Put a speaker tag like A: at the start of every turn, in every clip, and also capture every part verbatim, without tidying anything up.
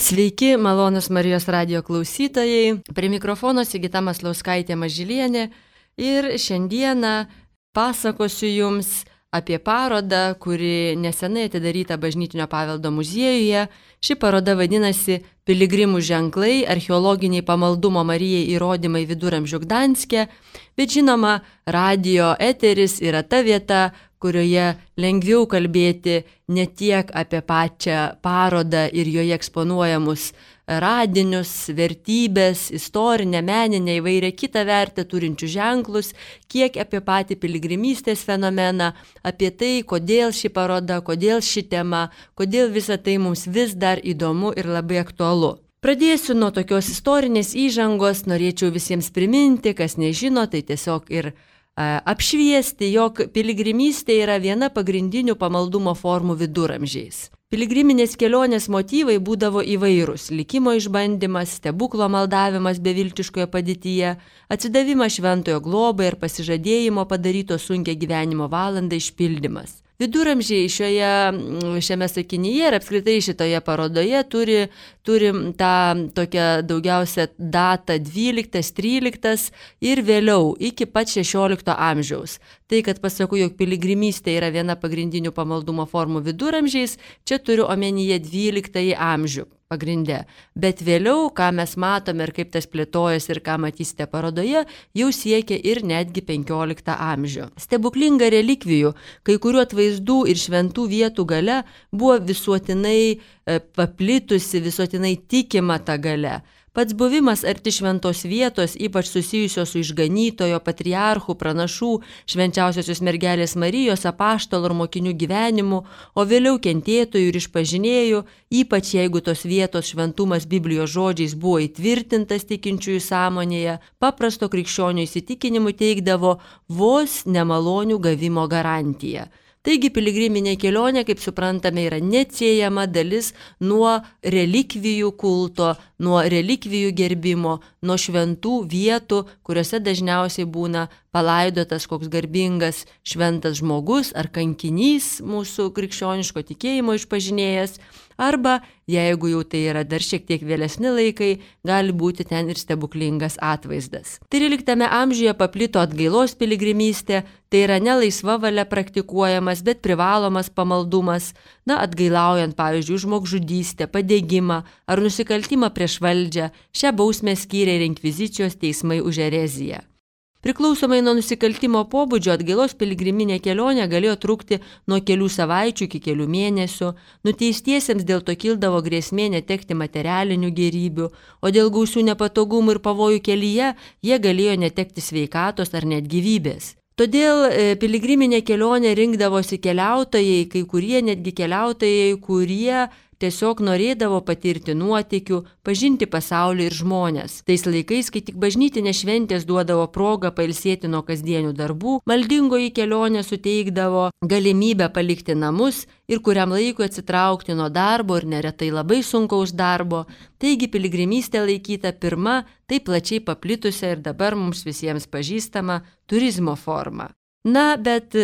A: Sveiki, malonus Marijos radijo klausytojai. Prie mikrofono Sigita Maslauskaitė Mažylienė ir šiandieną pasakosiu Jums apie parodą, kuri nesenai atidaryta Bažnytinio paveldo muziejuje. Ši paroda vadinasi Piligrimų ženklai, archeologiniai pamaldumo Marijai įrodymai Viduramžių Gdanske, bet žinoma, radijo eteris yra ta vieta, kurioje lengviau kalbėti ne tiek apie pačią parodą ir joje eksponuojamus radinius, vertybės, istorinę, meninę, įvairią kitą vertę turinčių ženklus, kiek apie patį piligrimystės fenomeną, apie tai, kodėl ši paroda, kodėl ši tema, kodėl visa tai mums vis dar įdomu ir labai aktualu. Pradėsiu nuo tokios istorinės įžangos, norėčiau visiems priminti, kas nežino, tai tiesiog ir apšviesti, jog piligrimystė yra viena pagrindinių pamaldumo formų viduramžiais. Piligriminės kelionės motyvai būdavo įvairūs: likimo išbandymas, stebuklo maldavimas beviltiškoje padėtyje, atsidavimas šventojo globai ir pasižadėjimo padaryto sunkią gyvenimo valandą išpildymas. Viduramžiai šioje, šiame sakinyje ir apskritai šitoje parodoje turi, turi tą tokią daugiausia datą dvyliktas, tryliktas ir vėliau iki pat šešiolikto amžiaus. Tai, kad pasakau, jog piligrimystė yra viena pagrindinių pamaldumo formų viduramžiais, čia turiu omenyje dvyliktąjį amžių pagrinde. Bet vėliau, ką mes matome ir kaip tas plėtojas ir ką matysite parodoje, jau siekia ir netgi penkioliktą amžių. Stebuklinga relikvijų, kai kurių atvaizdų ir šventų vietų galia buvo visuotinai paplitusi, visuotinai tikima ta galia. Pats buvimas arti šventos vietos, ypač susijusios su išganytojo, patriarchų, pranašų, švenčiausiosios mergelės Marijos, apaštalų ir mokinių gyvenimu, o vėliau kentėtojų ir išpažinėjų, ypač jeigu tos vietos šventumas Biblijos žodžiais buvo įtvirtintas tikinčiųjų sąmonėje, paprasto krikščionių įsitikinimu teikdavo vos nemalonių gavimo garantiją. Taigi piligriminė kelionė, kaip suprantame, yra neatsiejama dalis nuo relikvijų kulto, nuo relikvijų gerbimo, nuo šventų vietų, kuriuose dažniausiai būna palaidotas koks garbingas šventas žmogus ar kankinys mūsų krikščioniško tikėjimo išpažinėjas, arba, jeigu jau tai yra dar šiek tiek vėlesni laikai, gali būti ten ir stebuklingas atvaizdas. tryliktame amžiuje paplito atgailos piligrimystė, tai yra ne laisva valia praktikuojamas, bet privalomas pamaldumas, na, atgailaujant, pavyzdžiui, žmogžudystę, padegimą ar nusikaltimą prieš valdžią. Šią bausmę skyrė ir inkvizicijos teismai už ereziją. Priklausomai nuo nusikaltimo pobūdžio atgailos piligriminė kelionė galėjo trukti nuo kelių savaičių iki kelių mėnesių, nuteistiesiems dėl to kildavo grėsmė netekti materialinių gėrybių, o dėl gausių nepatogumų ir pavojų kelyje jie galėjo netekti sveikatos ar net gyvybės. Todėl piligriminė kelionė rinkdavosi keliautojai, kai kurie netgi keliautojai, kurie tiesiog norėdavo patirti nuotykių, pažinti pasaulį ir žmonės. Tais laikais, kai tik bažnytinės šventės duodavo progą pailsėti nuo kasdienių darbų, maldingoji kelionė suteikdavo galimybę palikti namus ir kuriam laikui atsitraukti nuo darbo ir neretai labai sunkaus darbo. Taigi piligrimystė laikyta pirma, taip plačiai paplitusia ir dabar mums visiems pažįstama turizmo forma. Na, bet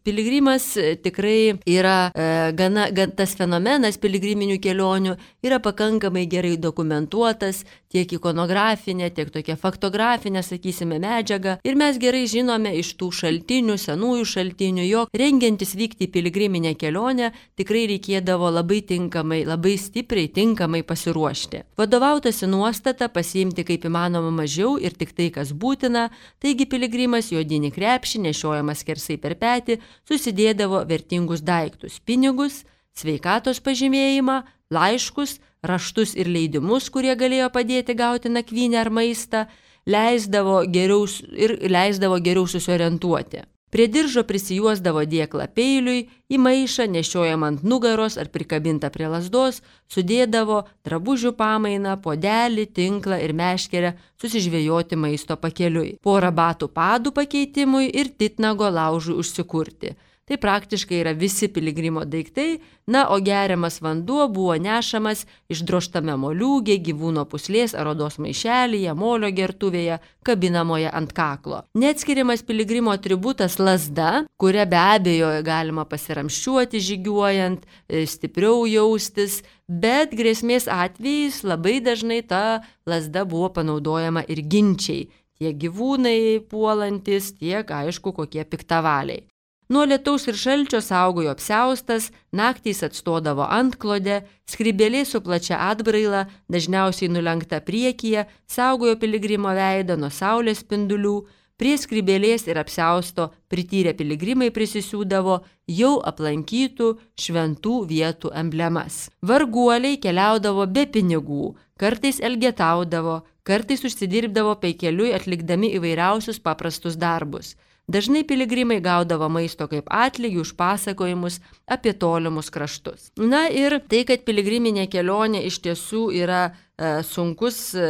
A: piligrimas tikrai yra e, gana, gan, tas fenomenas piligriminių kelionių yra pakankamai gerai dokumentuotas, tiek ikonografinė, tiek tokia faktografinė, sakysime, medžiaga. Ir mes gerai žinome iš tų šaltinių, senųjų šaltinių, jog rengiantis vykti į piligriminę kelionę tikrai reikėdavo labai tinkamai, labai stipriai tinkamai pasiruošti. Vadovautasi nuostata pasiimti kaip įmanoma mažiau ir tik tai, kas būtina, taigi piligrimas į odinį krepšį nešiojamas skersai per petį, susidėdavo vertingus daiktus – pinigus, sveikatos pažymėjimą, laiškus, raštus ir leidimus, kurie galėjo padėti gauti nakvynę ar maistą, leisdavo geriau, ir leisdavo geriau susiorientuoti. Prie diržo prisijuosdavo dėklą peiliui, į maišą nešiojamą ant nugaros ar prikabintą prie lazdos, sudėdavo drabužių pamainą, puodelį, tinklą ir meškerę susižvejoti maisto pakeliui, porą batų padų pakeitimui ir titnago laužui užsikurti. Tai praktiškai yra visi piligrimo daiktai, na, o geriamas vanduo buvo nešamas išdrožtame moliūgė, gyvūno puslės ar odos maišelyje, molio gertuvėje, kabinamoje ant kaklo. Neatskiriamas piligrimo atributas lazda, kuria be abejo galima pasiramščiuoti žygiuojant, stipriau jaustis, bet grėsmės atvejais labai dažnai ta lazda buvo panaudojama ir ginčiai, tiek gyvūnai puolantis, tiek aišku kokie piktavaliai. Nuo lietaus ir šalčio saugojo apsiaustas, naktys atstodavo antklodę, skrybėlė su plačia atbraila, dažniausiai nulenkta priekyje, saugojo piligrimo veidą nuo saulės spindulių, prie skrybėlės ir apsiausto prityrę piligrimai prisisiūdavo jau aplankytų šventų vietų emblemas. Varguoliai keliaudavo be pinigų, kartais elgetaudavo, kartais užsidirbdavo peikeliui atlikdami įvairiausius paprastus darbus. Dažnai piligrimai gaudavo maisto kaip atlygį už pasakojimus apie tolimus kraštus. Na ir tai, kad piligriminė kelionė iš tiesų yra e, sunkus e,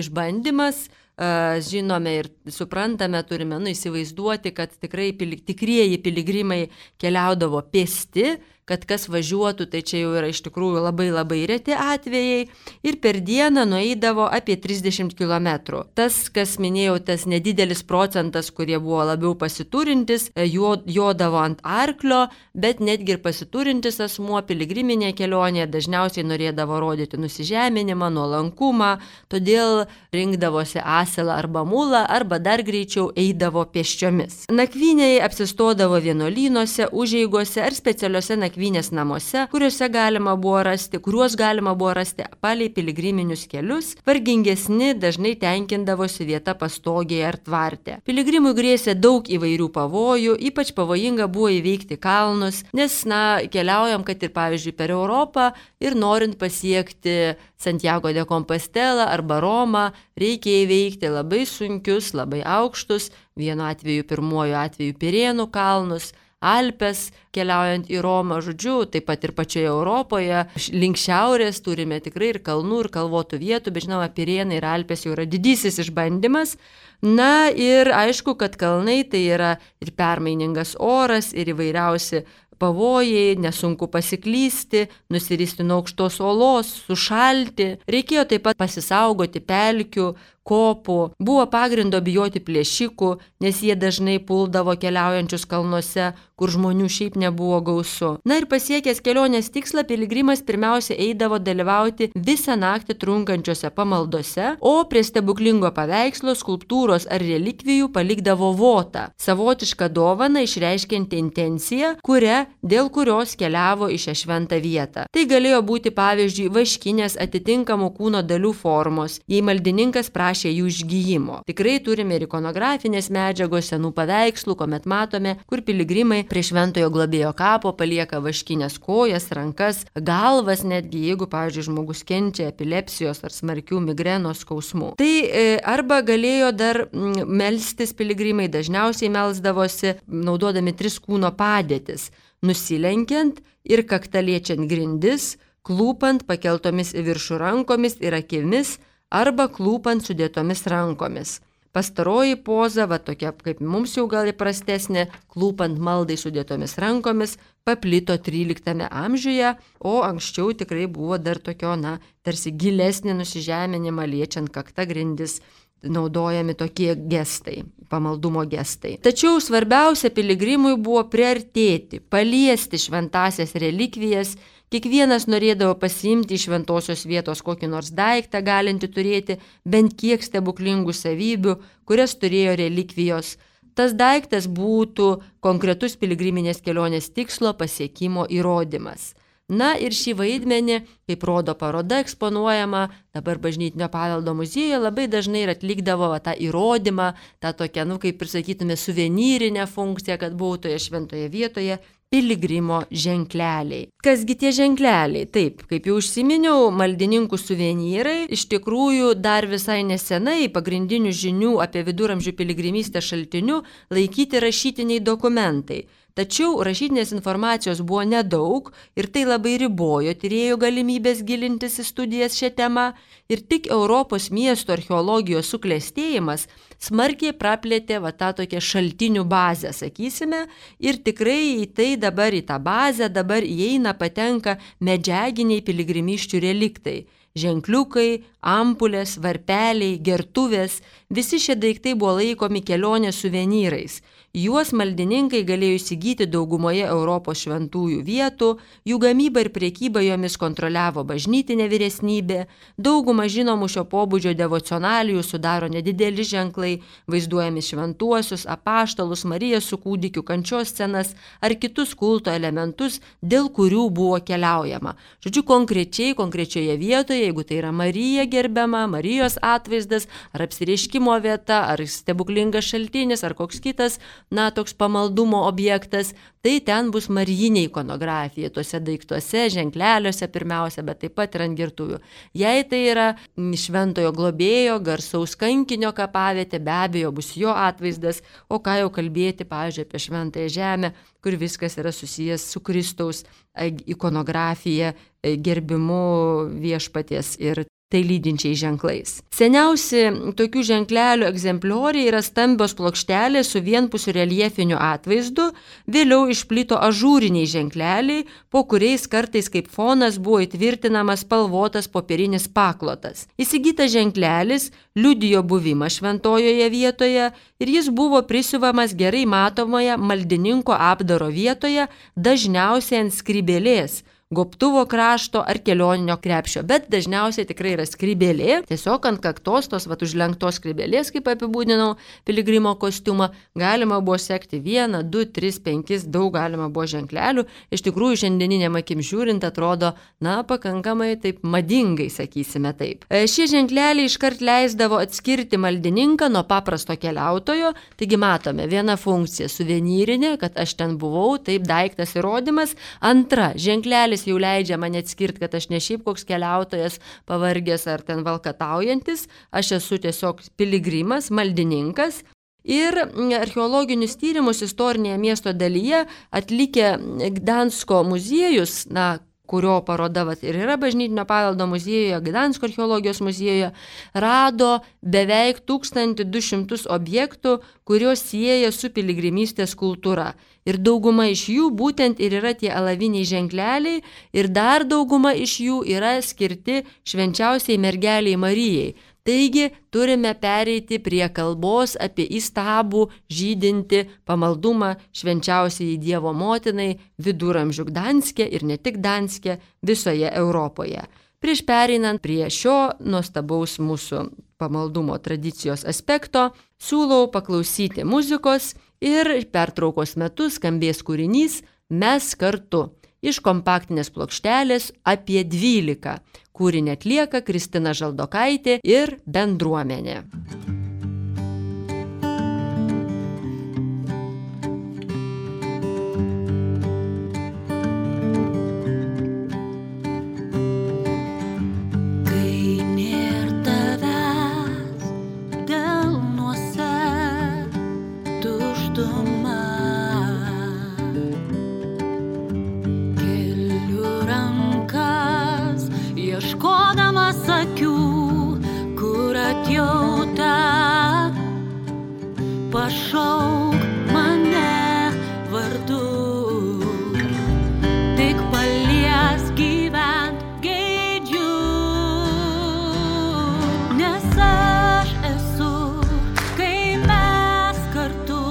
A: išbandymas, e, žinome ir suprantame, turime nu, įsivaizduoti, kad tikrai pili, tikrieji piligrimai keliaudavo pėsti, kad kas važiuotų, tai čia jau yra iš tikrųjų labai labai reti atvejai ir per dieną nueidavo apie trisdešimt kilometrų. Tas, kas minėjau, tas nedidelis procentas, kurie buvo labiau pasiturintis, jodavo ant arklio, bet netgi ir pasiturintis asmuo piligriminė kelionė dažniausiai norėdavo rodyti nusižeminimą, nuolankumą, todėl rinkdavosi asilą arba mulą, arba dar greičiau eidavo pėsčiomis. Nakvyniai apsistodavo vienuolynuose, užeigose ar specialiuose nakvynėse nakvynės namuose, kuriuose galima buvo rasti, kuriuos galima buvo rasti palei piligriminius kelius, vargingesni dažnai tenkindavosi vieta pastogėje ar tvarte. Piligrimui grėsė daug įvairių pavojų, ypač pavojinga buvo įveikti kalnus, nes, na, keliaujam, kad ir pavyzdžiui per Europą ir norint pasiekti Santiago de Compostela arba Romą, reikia įveikti labai sunkius, labai aukštus, vienu atveju pirmuoju atveju Pirėnų kalnus, Alpes, keliaujant į Romą, žodžiu, taip pat ir pačioje Europoje, link šiaurės turime tikrai ir kalnų, ir kalvotų vietų, bet žinoma, Pirėnai ir Alpės jau yra didysis išbandymas. Na ir aišku, kad kalnai tai yra ir permainingas oras, ir įvairiausi pavojai, nesunku pasiklysti, nusiristi nuo aukštos olos, sušalti. Reikėjo taip pat pasisaugoti pelkių, kopų. Buvo pagrindo bijoti plėšikų, nes jie dažnai puldavo keliaujančius kalnuose, kur žmonių šiaip nebuvo gausu. Na ir pasiekęs kelionės tikslą, piligrimas pirmiausia eidavo dalyvauti visą naktį trunkančiose pamaldose, o prie stebuklingo paveikslo, skulptūros ar relikvijų palikdavo votą, savotišką dovaną išreiškianti intenciją, kuria, dėl kurios keliavo į šią šventą vietą. Tai galėjo būti pavyzdžiui vaškinės atitinkamų kūno dalių formos, jei maldininkas prašė jų išgyjimo. Tikrai turime ir ikonografinės medžiagos, senų paveikslų, kuomet matome, kur piligrimai prie šventojo globėjo kapo palieka vaškinės kojas, rankas, galvas, netgi jeigu, pavyzdžiui, žmogus kenčia epilepsijos ar smarkių migrenos skausmų. Tai e, arba galėjo dar m, melstis piligrimai, dažniausiai melsdavosi naudodami tris kūno padėtis, nusilenkiant ir kaktaliečiant grindis, klūpant pakeltomis į viršų rankomis ir akimis, arba klūpant sudėtomis rankomis. Pastaroji poza, va tokia kaip mums jau gal įprastesnė, klūpant maldai sudėtomis rankomis, paplito tryliktame amžiuje, o anksčiau tikrai buvo dar tokio, na, tarsi gilesnį nusižeminimą liečiant kaktą grindis, naudojami tokie gestai, pamaldumo gestai. Tačiau svarbiausia piligrimui buvo priartėti, paliesti šventasias relikvijas. Kiekvienas norėdavo pasiimti iš šventosios vietos kokį nors daiktą, galinti turėti bent kiek stebuklingų savybių, kurias turėjo relikvijos. Tas daiktas būtų konkretus piligriminės kelionės tikslo pasiekimo įrodymas. Na ir šį vaidmenį, kaip rodo paroda eksponuojama, dabar Bažnytinio paveldo muziejuje labai dažnai ir atlikdavo va, tą įrodymą, tą tokią, nu kaip ir sakytume, suvenyrinę funkciją, kad buvo toje šventoje vietoje piligrimo ženkleliai. Kasgi tie ženkleliai? Taip, kaip jau užsiminiau, maldininkų suvenyrai iš tikrųjų dar visai nesenai pagrindinių žinių apie viduramžių piligrimystę šaltiniu laikyti rašytiniai dokumentai. Tačiau rašytinės informacijos buvo nedaug ir tai labai ribojo tyrėjų galimybės gilintis į studijas šią temą ir tik Europos miestų archeologijos suklestėjimas smarkiai praplėtė va tą tokią šaltinių bazę, sakysime, ir tikrai į tai dabar į tą bazę dabar įeina patenka medžiaginiai piligrimysčių reliktai. ženkliukai, ampulės, varpeliai, gertuvės, visi šie daiktai buvo laikomi kelionės suvenyrais. Juos maldininkai galėjo įsigyti daugumoje Europos šventųjų vietų, jų gamybą ir priekybą jomis kontroliavo bažnytinė vyresnybė, daugumą žinomų šio pobūdžio devocionalijų sudaro nedideli ženklai, vaizduojami šventuosius, apaštalus, Mariją su kūdikiu kančios scenas ar kitus kulto elementus, dėl kurių buvo keliaujama. Žodžiu, konkrečiai, konkrečioje vietoje, jeigu tai yra Marija gerbiama, Marijos atvaizdas, ar apsireiškimo vieta, ar stebuklingas šaltinis, ar koks kitas, na, toks pamaldumo objektas, tai ten bus marijinė ikonografija, tuose daiktuose, ženkleliuose pirmiausia, bet taip pat ir ant gertuvių. Jei tai yra šventojo globėjo, garsaus kankinio kapavietė, be abejo bus jo atvaizdas, o ką jau kalbėti, pavyzdžiui, apie šventąją žemę, kur viskas yra susijęs su Kristaus ikonografija, gerbimu viešpaties ir tai lydinčiai ženklais. Seniausi tokių ženklelių egzemplioriai yra stambios plokštelės su vienpusiu reljefiniu atvaizdu, vėliau išplito ažūriniai ženkleliai, po kuriais kartais kaip fonas buvo įtvirtinamas spalvotas popierinis paklotas. Įsigytas ženklelis liudijo buvimą šventojoje vietoje ir jis buvo prisiuvamas gerai matomoje maldininko apdaro vietoje, dažniausiai ant skrybėlės, gobtuvo krašto ar kelioninio krepšio, bet dažniausiai tikrai yra skrybėlė, tiesiog ant kaktos tos vat užlenktos skrybėlės, kaip apibūdinau piligrimo kostiumą, galima buvo sekti vieną, du, tris, penkis, daug galima buvo ženklelių, iš tikrųjų šiandieninėm akim žiūrint atrodo, na, pakankamai taip madingai, sakysime taip. Šie ženkleliai iškart leisdavo atskirti maldininką nuo paprasto keliautojo, taigi matome, viena funkcija suvenyrinė, kad aš ten buvau, taip daiktas įrodymas, antra, ženklelis jau leidžia man atskirti, kad aš ne šiaip koks keliautojas, pavargęs ar ten valkataujantis, aš esu tiesiog piligrimas, maldininkas. Ir archeologinius tyrimus istorinėje miesto dalyje atlikę Gdansko muziejus, na, kurio paroda vat, ir yra bažnytinio paveldo muziejuje, Gdansko archeologijos muziejuje, rado beveik tūkstantį du šimtus objektų, kurios sieja su piligrimystės kultūra. Ir dauguma iš jų būtent ir yra tie alaviniai ženkleliai ir dar dauguma iš jų yra skirti švenčiausiai mergeliai Marijai. Taigi turime pereiti prie kalbos apie įstabų, žydinti pamaldumą švenčiausiai Dievo motinai viduramžių Gdanske ir ne tik Gdanske, visoje Europoje. Prieš pereinant prie šio nuostabaus mūsų pamaldumo tradicijos aspekto, siūlau paklausyti muzikos ir pertraukos metu skambės kūrinys Mes kartu iš kompaktinės plokštelės apie dvylika. Kūrinį atlieka Kristina Žaldokaitė ir bendruomenė.
B: Pašauk mane vardu, tik palies gyvent geidžiu, nes aš esu, kai mes kartu,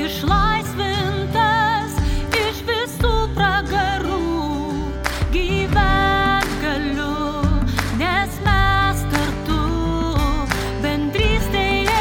B: išlaisvintas iš visų pragarų, gyvent galiu, nes mes kartu, bendrystėje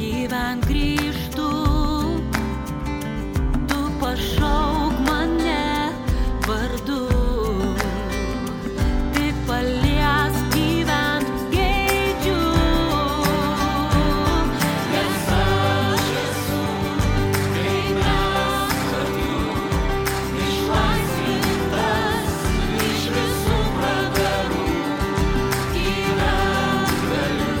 B: gyvent grįžtu, tu pašauk mane vardu, tik palies gyvent geidžiu, nes aš esu, kai mes kartu, išlaisvintas iš visų pragarų, gyvent galiu.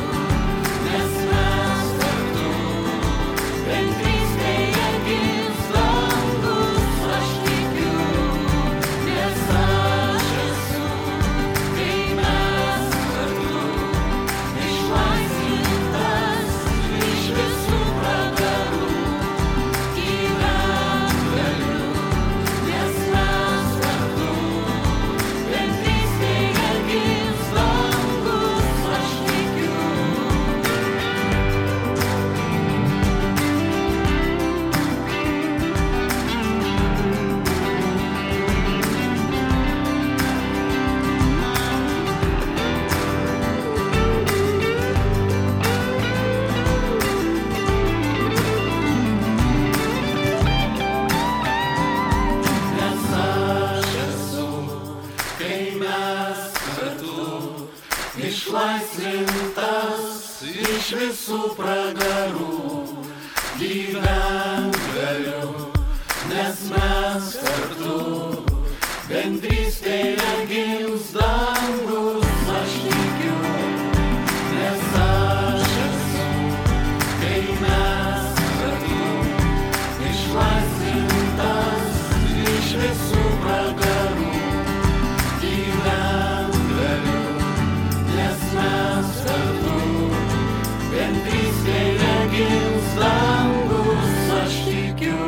C: visų pragarų gyvent galiu, nes mes kartu bendrystėje gims dangus, aš tikiu, nes aš esu, kai mes kartu išlaisvintas iš visų pragarų gyvent galiu, nes mes kartu bendrystėje gims dangus, aš tikiu.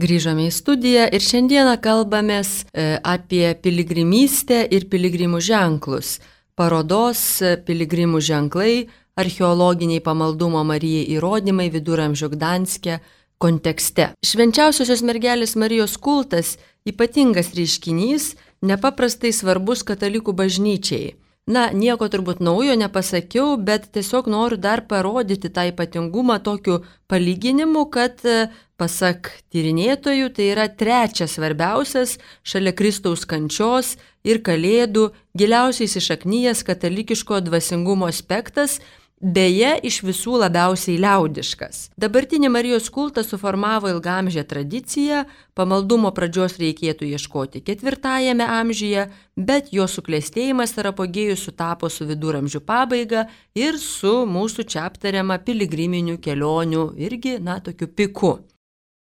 A: Grįžome į studiją ir šiandieną kalbamės apie piligrimystę ir piligrimų ženklus. Parodos Piligrimų ženklai, archeologiniai pamaldumo Marijai įrodymai Viduramžių Gdanske kontekste. Švenčiausiosios mergelės Marijos kultas ypatingas reiškinys, nepaprastai svarbus katalikų bažnyčiai. Na, nieko turbūt naujo nepasakiau, bet tiesiog noriu dar parodyti tą ypatingumą tokiu palyginimu, kad pasak tyrinėtojų tai yra trečias svarbiausias šalia Kristaus kančios ir Kalėdų giliausiai įsišaknyjęs katalikiško dvasingumo aspektas, beje, iš visų labiausiai liaudiškas. Dabartinį Marijos kultą suformavo ilgaamžę tradiciją, pamaldumo pradžios reikėtų ieškoti ketvirtajame amžiuje, bet jo suklestėjimas ir apogėjus sutapo su viduramžių pabaiga ir su mūsų čia aptariama piligriminių kelionių irgi, na, tokiu piku.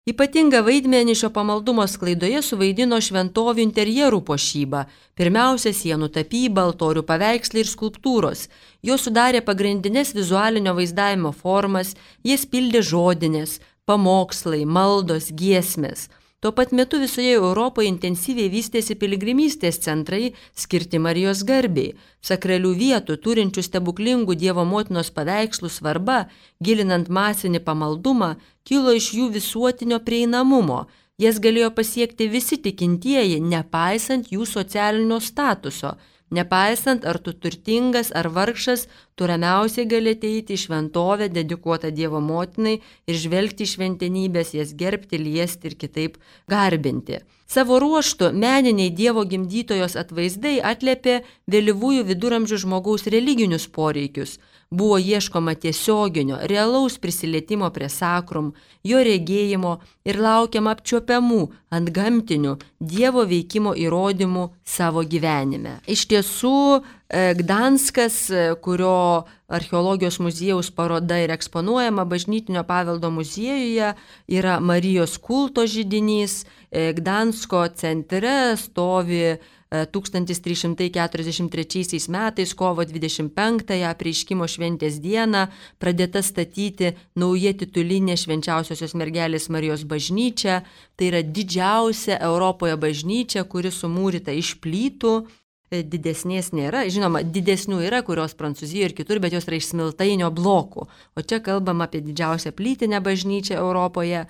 A: Ypatingą vaidmenį šio pamaldumo sklaidoje suvaidino šventovių interjerų puošyba, pirmiausia sienų tapyba, altorių paveikslai ir skulptūros. Jos sudarė pagrindinės vizualinio vaizdavimo formas, jas pildė žodinės, pamokslai, maldos, giesmės. Tuo pat metu visoje Europoje intensyviai vystėsi piligrimystės centrai skirti Marijos garbei. Sakralių vietų, turinčių stebuklingų Dievo motinos paveikslų svarba, gilinant masinį pamaldumą, kilo iš jų visuotinio prieinamumo. Jas galėjo pasiekti visi tikintieji, nepaisant jų socialinio statuso. Nepaisant, ar tu turtingas ar vargšas, tu ramiausiai gali ateiti į šventovę dedikuotą Dievo motinai ir žvelgti į šventenybės, jas gerbti, liesti ir kitaip garbinti. Savo ruožtu meniniai Dievo gimdytojos atvaizdai atliepė vėlyvųjų viduramžių žmogaus religinius poreikius. Buvo ieškoma tiesioginio, realaus prisilietimo prie sakrum, jo regėjimo ir laukiama apčiuopiamų, antgamtinių Dievo veikimo įrodymų savo gyvenime. Iš tiesų, Gdanskas, kurio archeologijos muziejaus paroda ir eksponuojama Bažnytinio paveldo muziejuje, yra Marijos kulto židinys. Gdansko centre stovi tūkstantis trys šimtai keturiasdešimt trečiaisiais metais kovo dvidešimt penktąją apreiškimo šventės dieną pradėta statyti nauja titulinė Švenčiausiosios mergelės Marijos bažnyčia. Tai yra didžiausia Europoje bažnyčia, kuri sumūryta iš plytų. Didesnės nėra, žinoma, didesnių yra, kurios Prancūzijoje ir kitur, bet jos yra iš smiltainio blokų. O čia kalbam apie didžiausią plytinę bažnyčią Europoje.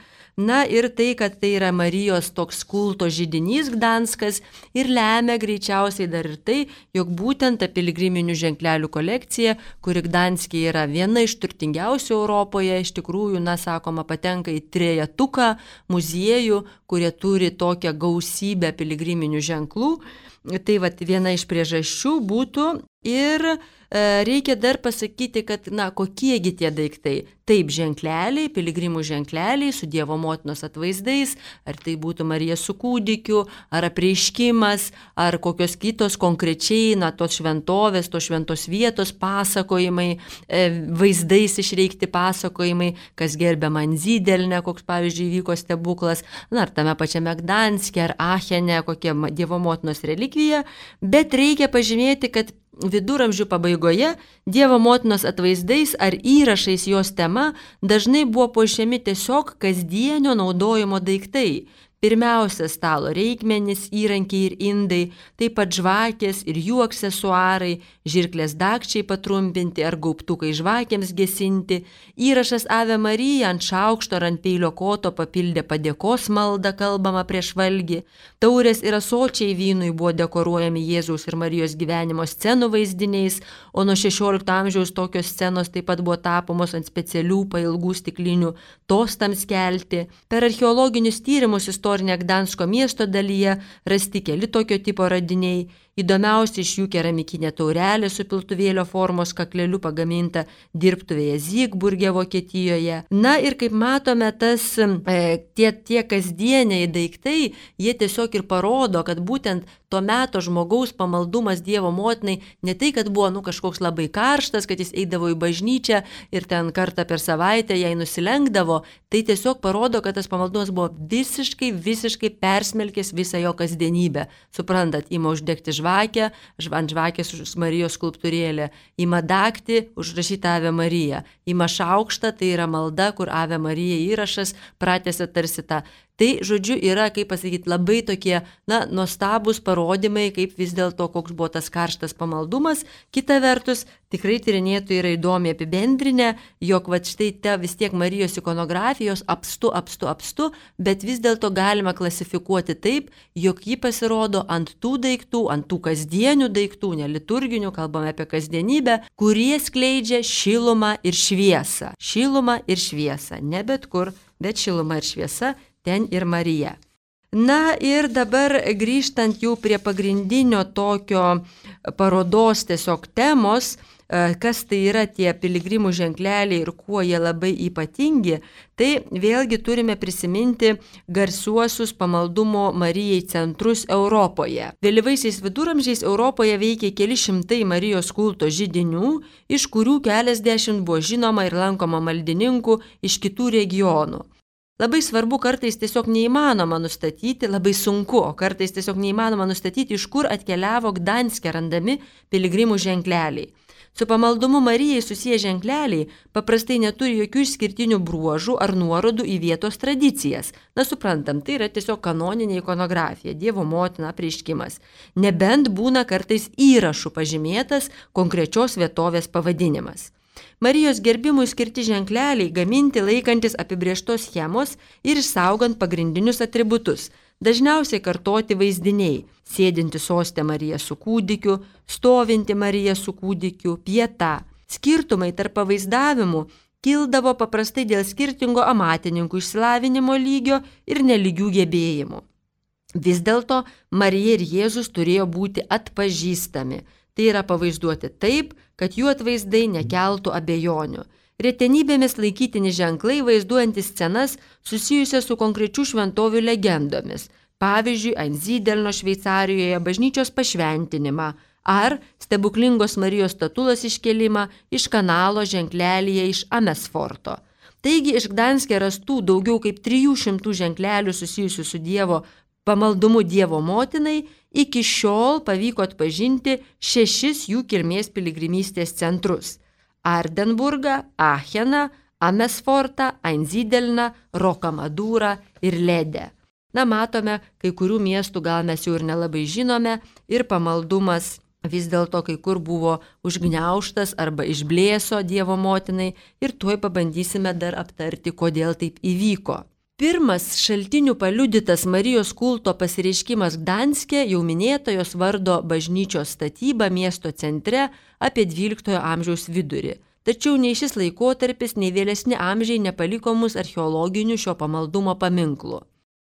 A: Na ir tai, kad tai yra Marijos toks kulto židinys Gdanskas ir lemia greičiausiai dar ir tai, jog būtent ta piligriminių ženklelių kolekcija, kuri Gdanske yra viena iš turtingiausių Europoje, iš tikrųjų, na, sakoma, patenka į trejetuką muziejų, kurie turi tokią gausybę piligriminių ženklų. Tai vat viena iš priežasčių būtų ir e, reikia dar pasakyti, kad, na, kokiegi tie daiktai. Taip, ženkleliai, piligrimų ženkleliai su Dievo motinos atvaizdais, ar tai būtų Marija su kūdikiu, ar apreiškimas, ar kokios kitos konkrečiai, na, tos šventovės, tos šventos vietos pasakojimai, e, vaizdais išreikti pasakojimai, kas gerbė Manzydelne, koks pavyzdžiui vyko stebuklas, na, ar tame pačiame Gdanske, ar Achene, kokia Dievo motinos relikvija, bet reikia pažymėti, kad viduramžių pabaigoje Dievo motinos atvaizdais ar įrašais jos tema dažnai buvo puošiami tiesiog kasdienio naudojimo daiktai. Pirmiausia, stalo reikmenys, įrankiai ir indai, taip pat žvakės ir jų aksesuarai, žirklės dagčiai patrumpinti ar gaubtukai žvakėms gesinti, įrašas Ave Marija ant šaukšto ar ant peilio koto papildė padėkos maldą kalbama prieš valgį, taurės ir ąsočiai vynui buvo dekoruojami Jėzaus ir Marijos gyvenimo scenų vaizdiniais, o nuo šešiolikto amžiaus tokios scenos taip pat buvo tapomos ant specialių pailgų stiklinių tostams kelti. Per archeologinius tyrimus istorinė Gdansko miesto dalyje rasti keli tokio tipo radiniai. Įdomiausia iš jų keramikinė taurelė su piltuvėlio formos kakleliu pagaminta dirbtuvėje Zygburge, Vokietijoje. Na ir kaip matome, tas, e, tie, tie kasdieniai daiktai, jie tiesiog ir parodo, kad būtent to meto žmogaus pamaldumas Dievo motinai ne tai, kad buvo nu, kažkoks labai karštas, kad jis eidavo į bažnyčią ir ten kartą per savaitę jai nusilenkdavo, tai tiesiog parodo, kad tas pamaldumas buvo visiškai, visiškai persmelkęs visą jo kasdienybę. Suprantat, ima uždegti žvakę, ant žvakės Marijos skulptūrėlė, ima dagtį, užrašyta Ave Marija, ima šaukštą, tai yra malda, kur Ave Marija įrašas pratęsia tarsi tą. Tai, žodžiu, yra, kaip pasakyti, labai tokie, na, nuostabūs parodymai, kaip vis dėlto koks buvo tas karštas pamaldumas. Kita vertus, tikrai tyrinėtojai yra įdomiai apibendrinę, jog va štai te vis tiek Marijos ikonografijos apstu, apstu, apstu, bet vis dėlto galima klasifikuoti taip, jog ji pasirodo ant tų daiktų, ant tų kasdienių daiktų, neliturginių, kalbame apie kasdienybę, kurie skleidžia šilumą ir šviesą. Šilumą ir šviesą, ne bet kur, bet šilumą ir šviesa. Ten ir Marija. Na ir dabar grįžtant jau prie pagrindinio tokio parodos tiesiog temos, kas tai yra tie piligrimų ženkleliai ir kuo jie labai ypatingi, tai vėlgi turime prisiminti garsiuosius pamaldumo Marijai centrus Europoje. Vėlyvaisiais viduramžiais Europoje veikė keli šimtai Marijos kulto židinių, iš kurių keliasdešimt buvo žinoma ir lankoma maldininkų iš kitų regionų. Labai svarbu, kartais tiesiog neįmanoma nustatyti, labai sunku, o kartais tiesiog neįmanoma nustatyti, iš kur atkeliavo Gdanske randami piligrimų ženkleliai. Su pamaldumu Marijai susiję ženkleliai paprastai neturi jokių išskirtinių bruožų ar nuorodų į vietos tradicijas. Na, suprantam, tai yra tiesiog kanoninė ikonografija, Dievo motina apreiškimas. Nebent būna kartais įrašų pažymėtas konkrečios vietovės pavadinimas. Marijos gerbimui skirti ženkleliai gaminti laikantis apibrėžtos schemos ir išsaugant pagrindinius atributus. Dažniausiai kartoti vaizdiniai – sėdinti soste Marija su kūdikiu, stovinti Marija su kūdikiu, pieta. Skirtumai tarp pavaizdavimų kildavo paprastai dėl skirtingo amatininkų išsilavinimo lygio ir nelygių gebėjimų. Vis dėlto Marija ir Jėzus turėjo būti atpažįstami. Tai yra pavaizduoti taip, kad jų atvaizdai nekeltų abejonių. Retenybėmis laikytini ženklai vaizduojantis scenas susijusias su konkrečių šventovių legendomis, pavyzdžiui, Einzydelno Šveicarijoje bažnyčios pašventinimą ar stebuklingos Marijos statulos iškėlimą iš kanalo ženklelyje iš Amesforto. Taigi iš Gdanske rastų daugiau kaip trijų šimtų ženklelių susijusių su Dievo pamaldumu Dievo motinai, iki šiol pavyko atpažinti šešis jų kilmės piligrimystės centrus – Ardenburgą, Acheną, Amesfortą, Einzydelną, Rokamadūrą ir Ledę. Na, matome, kai kurių miestų gal mes jau ir nelabai žinome ir pamaldumas vis dėlto kai kur buvo užgniaužtas arba išblėso Dievo motinai ir tuoj pabandysime dar aptarti, kodėl taip įvyko. Pirmas šaltinių paliudytas Marijos kulto pasireiškimas Gdanske jau minėtojos vardo bažnyčios statyba miesto centre apie dvyliktojo amžiaus vidurį. Tačiau nei šis laikotarpis, nei vėlesni amžiai nepaliko mus archeologinių šio pamaldumo paminklų.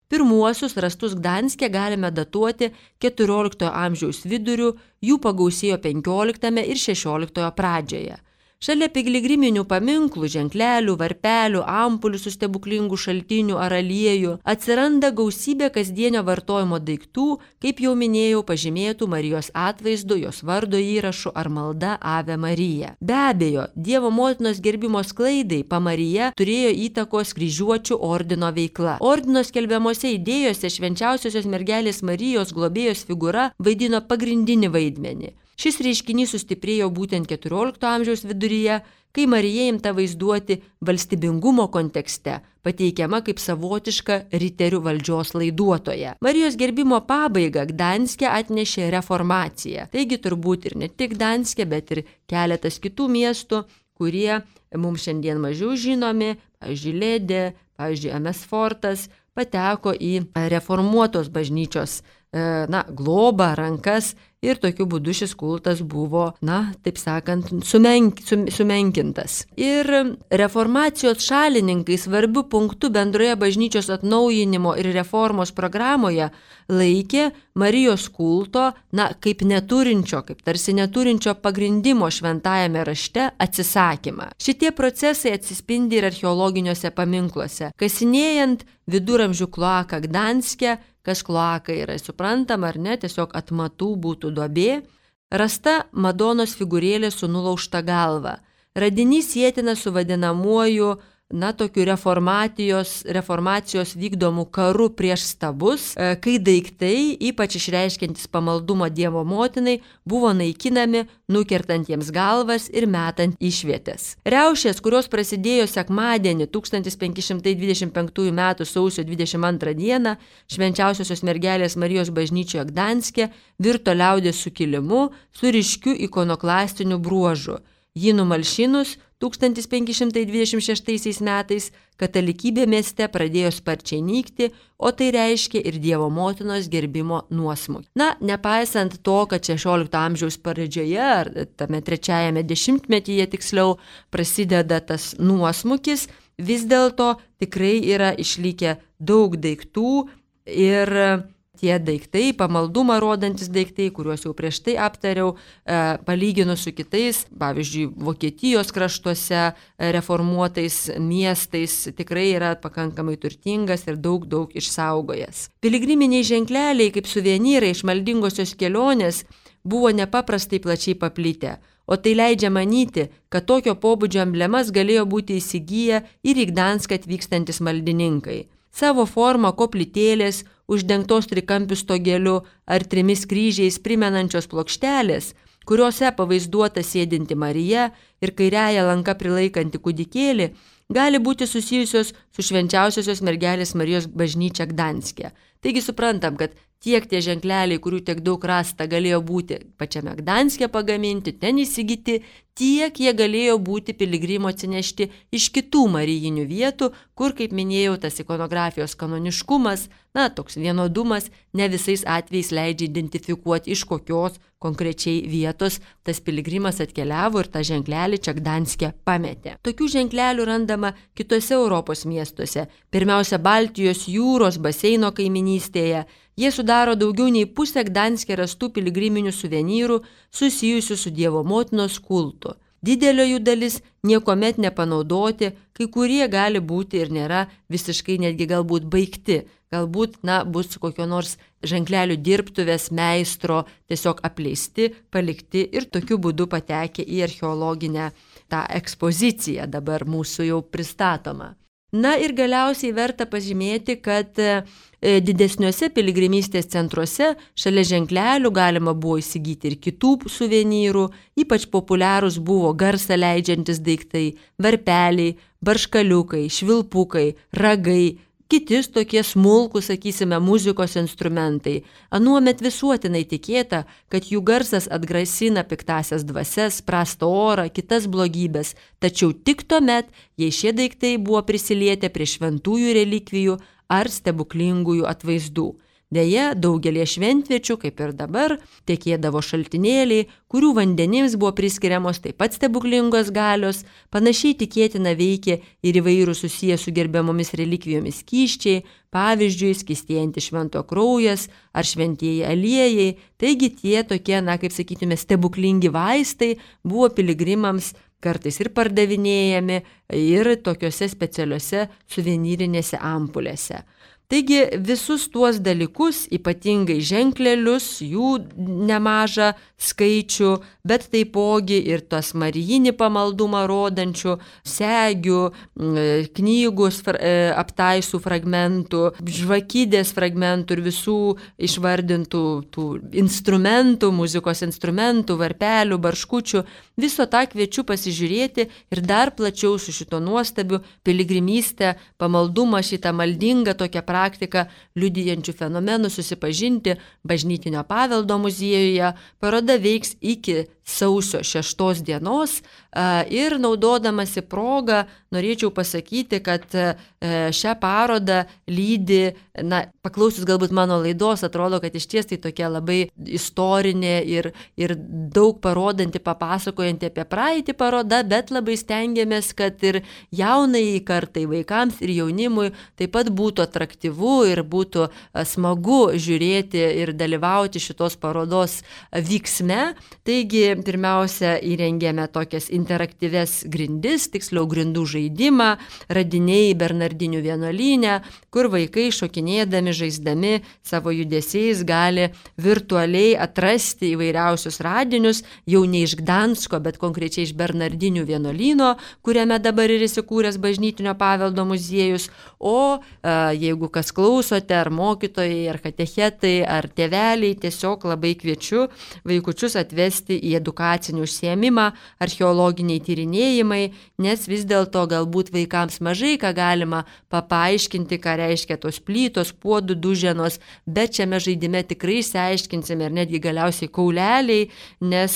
A: Pirmuosius rastus Gdanske galime datuoti keturioliktojo amžiaus viduriu, jų pagausėjo penkioliktame ir šešioliktojo pradžioje. Šalia piligriminių paminklų, ženklelių, varpelių, ampulių su stebuklingų šaltinių ar aliejų atsiranda gausybė kasdienio vartojimo daiktų, kaip jau minėjau, pažymėtų Marijos atvaizdu, jos vardo įrašu ar malda Ave Marija. Be abejo, Dievo motinos gerbimo sklaidai Pamarija turėjo įtakos kryžiuočių ordino veikla. Ordino skelbiamose idėjose švenčiausiosios mergelės Marijos globėjos figūra vaidino pagrindinį vaidmenį. Šis reiškinys sustiprėjo būtent keturiolikto amžiaus viduryje, kai Marija imta vaizduoti valstybingumo kontekste, pateikiama kaip savotiška riterių valdžios laiduotoja. Marijos gerbimo pabaigą Gdanske atnešė reformacija. Taigi turbūt ir ne tik Gdanske, bet ir keletas kitų miestų, kurie mums šiandien mažiau žinomi, pavyzdžiui, Ledė, pavyzdžiui, Amesfortas, pateko į reformuotos bažnyčios na, globą, rankas ir tokiu būdu šis kultas buvo, na, taip sakant, sumenk, sumenkintas. Ir reformacijos šalininkai svarbių punktų bendroje bažnyčios atnaujinimo ir reformos programoje laikė Marijos kulto, na, kaip neturinčio, kaip tarsi neturinčio pagrindimo šventajame rašte atsisakymą. Šitie procesai atsispindi ir archeologiniuose paminkluose. Kasinėjant viduramžių kloaką Gdanske, kas kloaka yra suprantama ar ne, tiesiog atmatų būtų duobė, rasta Madonos figūrėlė su nulaužta galva. Radinys sietina su vadinamuoju, na, tokiu reformacijos, reformacijos vykdomų karų prieš stabus, kai daiktai, ypač išreiškiantis pamaldumą Dievo motinai, buvo naikinami, nukertant jiems galvas ir metant išvietės. Riaušės, kurios prasidėjo sekmadienį tūkstantis penki šimtai dvidešimt penktųjų metų sausio dvidešimt antrą dieną Švenčiausiosios mergelės Marijos bažnyčioje Gdanske, virto liaudies sukilimu su ryškiu ikonoklastiniu bruožu. Jį numalšinus tūkstantis penki šimtai dvidešimt šeštaisiais metais katalikybė mieste pradėjo sparčiai nykti, o tai reiškia ir Dievo motinos gerbimo nuosmukį. Na, nepaisant to, kad šešiolikto amžiaus pradžioje, ar tame trečiajame dešimtmetyje tiksliau, prasideda tas nuosmukis, vis dėlto tikrai yra išlikę daug daiktų ir tie daiktai, pamaldumą rodantis daiktai, kuriuos jau prieš tai aptariau, e, palyginus su kitais, pavyzdžiui, Vokietijos kraštuose reformuotais miestais, tikrai yra pakankamai turtingas ir daug, daug išsaugojęs. Piligriminiai ženkleliai, kaip suvenyrai iš maldingosios kelionės, buvo nepaprastai plačiai paplitę, o tai leidžia manyti, kad tokio pobūdžio emblemas galėjo būti įsigiję ir į Gdanską atvykstantis maldininkai. Savo formą koplytėlės, uždengtos trikampių stogeliu ar trimis kryžiais primenančios plokštelės, kuriuose pavaizduota sėdinti Marija ir kairiąja lanka prilaikanti kūdikėlį, gali būti susijusios su Švenčiausiosios mergelės Marijos bažnyčia Gdanske. Taigi suprantam, kad tiek tie ženkleliai, kurių tiek daug rasta, galėjo būti pačiame Gdanske pagaminti, ten įsigyti, tiek jie galėjo būti piligrimo atsinešti iš kitų marijinių vietų, kur, kaip minėjau, tas ikonografijos kanoniškumas, na, toks vienodumas, ne visais atvejais leidžia identifikuoti, iš kokios konkrečiai vietos tas piligrimas atkeliavo ir tą ženklelį čia Gdanske pametė. Tokių ženklelių randama kitose Europos miestuose, pirmiausia Baltijos jūros baseino kaiminystėje. Jie sudaro daugiau nei pusę Gdanske rastų piligriminių suvenyrų susijusių su Dievo motinos kultu. Didelio jų dalis niekuomet nepanaudoti, kai kurie gali būti ir nėra visiškai netgi galbūt baigti. Galbūt, na, bus kokio nors ženklelių dirbtuvės meistro tiesiog apleisti, palikti ir tokiu būdu patekę į archeologinę tą ekspoziciją dabar mūsų jau pristatoma. Na ir galiausiai verta pažymėti, kad didesniuose piligrimystės centruose šalia ženklelių galima buvo įsigyti ir kitų suvenyrų, ypač populiarūs buvo garsą leidžiantis daiktai, varpeliai, barškaliukai, švilpukai, ragai, kiti tokie smulkūs, sakysime, muzikos instrumentai. Anuomet visuotinai tikėta, kad jų garsas atgrasina piktasias dvasias, prastą orą, kitas blogybės, tačiau tik tuomet, jei šie daiktai buvo prisilietę prie šventųjų relikvijų ar stebuklingųjų atvaizdų. Deja, daugelie šventviečių, kaip ir dabar, tekėdavo šaltinėliai, kurių vandenims buvo priskiriamos taip pat stebuklingos galios, panašiai tikėtina veikė ir įvairių susiję su gerbiamomis relikvijomis skysčiai, pavyzdžiui, skystėjantis švento kraujas ar šventieji aliejai, taigi tie tokie, na, kaip sakytume, stebuklingi vaistai buvo piligrimams kartais ir pardavinėjami ir tokiuose specialiuose suvenyrinėse ampulėse. Taigi visus tuos dalykus, ypatingai ženklelius, jų nemažą skaičių, bet taipogi ir tas marijinį pamaldumą rodančių segių, knygų aptaisų fragmentų, žvakidės fragmentų ir visų išvardintų tų instrumentų, muzikos instrumentų, varpelių, barškučių. Viso tą kviečiu pasižiūrėti ir dar plačiau su šito nuostabiu piligrimystę, pamaldumą, šitą maldingą tokią praktiką liudijančių fenomenų susipažinti Bažnytinio paveldo muziejuje. Paroda veiks iki sausio šeštos dienos ir naudodamasi progą norėčiau pasakyti, kad šią parodą lydi, na, paklausius galbūt mano laidos, atrodo, kad iš ties tai tokia labai istorinė ir, ir daug parodanti, papasakojanti apie praeitį paroda, bet labai stengiamės, kad ir jaunai kartai, vaikams ir jaunimui taip pat būtų atraktyvu ir būtų smagu žiūrėti ir dalyvauti šitos parodos vyksme. Taigi, pirmiausia, įrengėme tokias interaktyves grindis, tiksliau grindų žaidimą, radiniai Bernardinių vienuolyne, kur vaikai šokinėdami, žaisdami savo judesiais gali virtualiai atrasti įvairiausius radinius, jau ne iš Gdansko, bet konkrečiai iš Bernardinių vienuolyno, kuriame dabar ir įsikūręs Bažnytinio paveldo muziejus. O a, jeigu kas klausote, ar mokytojai, ar katechetai, ar tėveliai, tiesiog labai kviečiu vaikučius atvesti į edukacinį užsiėmimą, archeologiniai tyrinėjimai, nes vis dėlto galbūt vaikams mažai ką galima papaaiškinti, ką reiškia tos plytos, puodų duženos, bet šiame žaidime tikrai išsiaiškinsime ir netgi galiausiai kauleliai, nes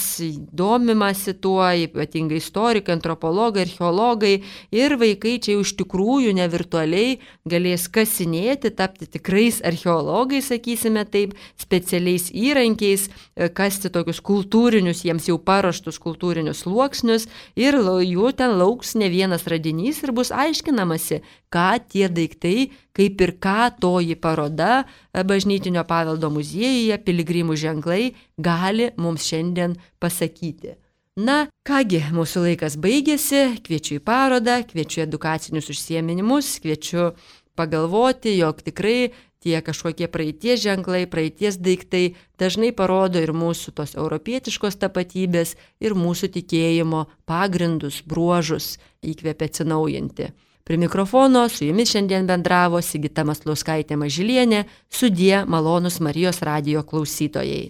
A: domimasi tuo, ypatingai istorikai, antropologai, archeologai ir vaikai čia iš tikrųjų ne virtualiai galės kasinėti, tapti tikrais archeologais, sakysime taip, specialiais įrankiais, kasti tokius kultūrinius, jiems jau paruoštus kultūrinius sluoksnius ir jų ten lauks ne vienas radinys ir bus aiškinamasi, ką tie daiktai, kaip ir ką toji paroda Bažnytinio paveldo muziejuje, piligrimų ženklai, gali mums šiandien pasakyti. Na, kągi, mūsų laikas baigėsi, kviečiu į parodą, kviečiu edukacinius užsiėminimus, kviečiu pagalvoti, jog tikrai tie kažkokie praeities ženklai, praeities daiktai dažnai parodo ir mūsų tos europietiškos tapatybės ir mūsų tikėjimo pagrindus, bruožus, įkvėpia atsinaujinti. Prie mikrofono su jumis šiandien bendravo Sigita Maslauskaitė Mažylienė, sudie malonūs Marijos radijo klausytojai.